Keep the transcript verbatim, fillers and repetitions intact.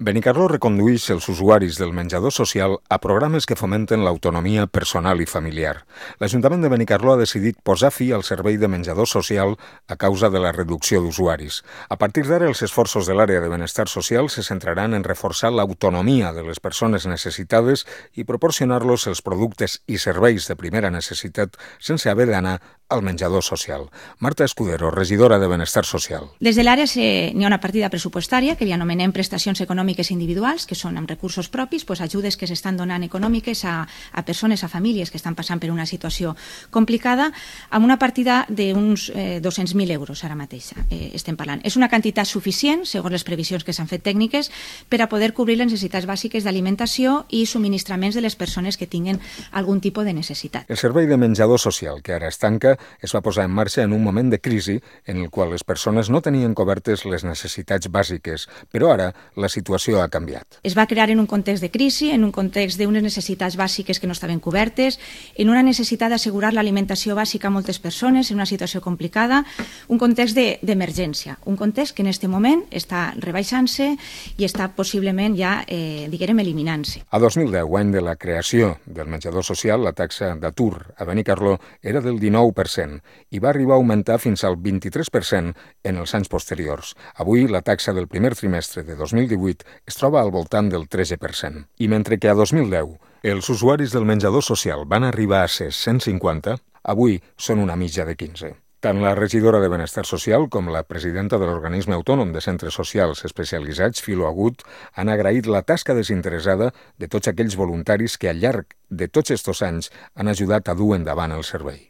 Benicarló recondueix els usuaris del menjador social a programes que fomenten l'autonomia personal i familiar. L'Ajuntament de Benicarló ha decidit posar fi al servei de menjador social a causa de la reducció d'usuaris. A partir d'ara, els esforços de l'àrea de benestar social se centraran en reforçar l'autonomia de les persones necessitades i proporcionar-los els productes i serveis de primera necessitat sense haver d'anar al menjador social. Marta Escudero, regidora de Benestar Social. Des de l'àrea n'hi ha una partida pressupostària que li anomenem prestacions econòmiques individuals, que són amb recursos propis, doncs ajudes que s'estan donant econòmiques a, a persones, a famílies que estan passant per una situació complicada, amb una partida d'uns eh, dos-cents mil euros ara mateix eh, estem parlant. És una quantitat suficient, segons les previsions que s'han fet tècniques, per a poder cobrir les necessitats bàsiques d'alimentació i subministraments de les persones que tinguen algun tipus de necessitat. El servei de menjador social, que ara es tanca, es va posar en marxa en un moment de crisi en el qual les persones no tenien cobertes les necessitats bàsiques, però ara la situació ha canviat. Es va crear en un context de crisi, en un context d'unes necessitats bàsiques que no estaven cobertes, en una necessitat d'assegurar l'alimentació bàsica a moltes persones en una situació complicada, un context d'emergència, de, un context que en aquest moment està rebaixant-se i està possiblement ja, eh, diguem, eliminant-se. A dos mil deu, any de la creació del menjador social, la taxa d'atur a Benicarló era del dinou per cent i va arribar a augmentar fins al vint-i-tres per cent en els anys posteriors. Avui, la taxa del primer trimestre de dos mil divuit es troba al voltant del tretze per cent. I mentre que a dos mil deu els usuaris del menjador social van arribar a ser cent cinquanta, avui són una mitja de quinze. Tant la regidora de Benestar Social com la presidenta de l'Organisme Autònom de Centres Socials Especialitzats, Filo Agut, han agraït la tasca desinteressada de tots aquells voluntaris que al llarg de tots estos anys han ajudat a dur endavant el servei.